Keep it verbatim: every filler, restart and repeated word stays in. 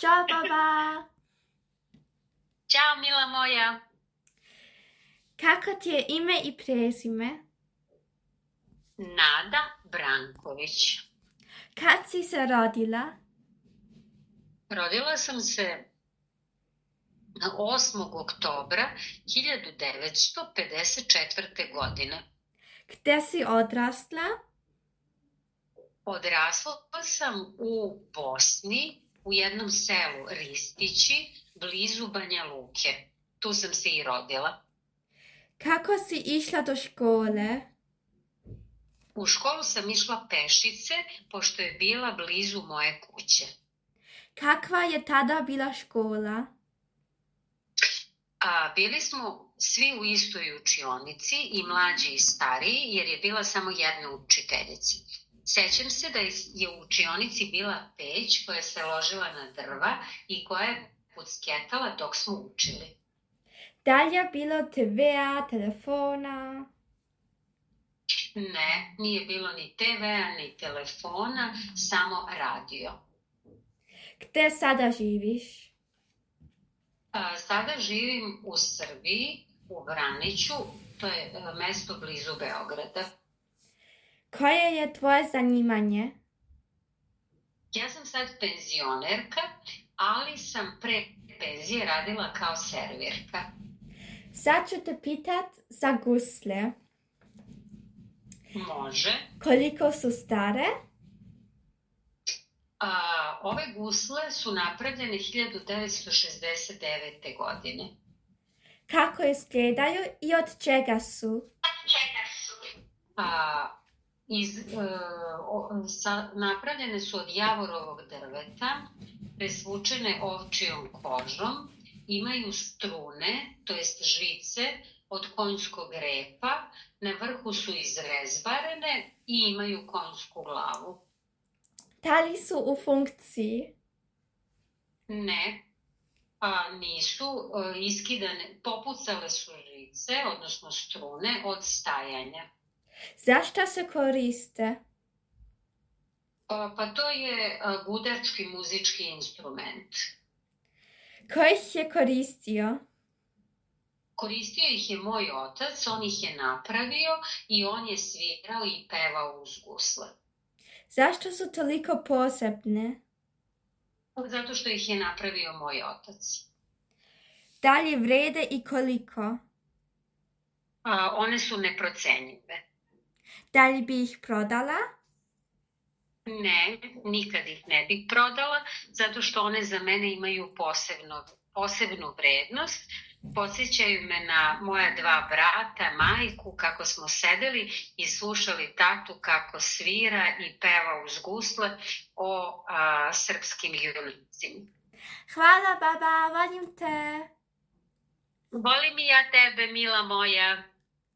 Ćao, baba! Ćao, mila moja. Kako ti je ime i prezime? Nada Branković. Kad si se rodila? Rodila sam se osmog oktobra hiljadu devetsto pedeset četvrte. godine. Gde si odrasla? Odrasla sam u Bosni, u jednom selu Ristići, blizu Banja Luke. Tu sam se i rodila. Kako si išla do škole? U školu sam išla pešice, pošto je bila blizu moje kuće. Kakva je tada bila škola? A, bili smo svi u istoj učionici, i mlađi i stariji, jer je bila samo jedna učiteljica. Sećam se da je u učionici bila peć koja se ložila na drva i koja je pucketala dok smo učili. Da li je bilo te vea, telefona? Ne, nije bilo ni te vea, ni telefona, samo radio. Gde sada živiš? A, sada živim u Srbiji, u Vraniću, to je a, mesto blizu Beograda. Koje je tvoje zanimanje? Ja sam sad penzionerka, ali sam pre penzije radila kao servirka. Sad ću te pitat za gusle. Može. Koliko su stare? A, ove gusle su napravljene hiljadu devetsto šezdeset devete. godine. Kako izgledaju i od čega su? Od čega su? A, iz, e, o, sa, napravljene su od javorovog drveta, presvučene ovčijom kožom, imaju strune, to jest žice, od konjskog repa, na vrhu su izrezbarene i imaju konjsku glavu. Da li su u funkciji? Ne, a nisu a, iskidane, popucale su žice, odnosno strune, od stajanja. Zašto se koriste? A, pa to je a, gudački muzički instrument. Ko ih je koristio? Koristio ih je moj otac, on ih je napravio i on je svirao i pevao uz gusle. Zašto su toliko posebne? Zato što ih je napravio moj otac. Da li vrede i koliko? A, one su neprocenjive. Da li bi ih prodala? Ne, nikad ih ne bih prodala, zato što one za mene imaju posebno, posebnu vrednost. Podsjećaju me na moja dva brata, majku, kako smo sedeli i slušali tatu kako svira i peva uz gusle o a, srpskim junicima. Hvala, baba, volim te. Volim i ja tebe, mila moja.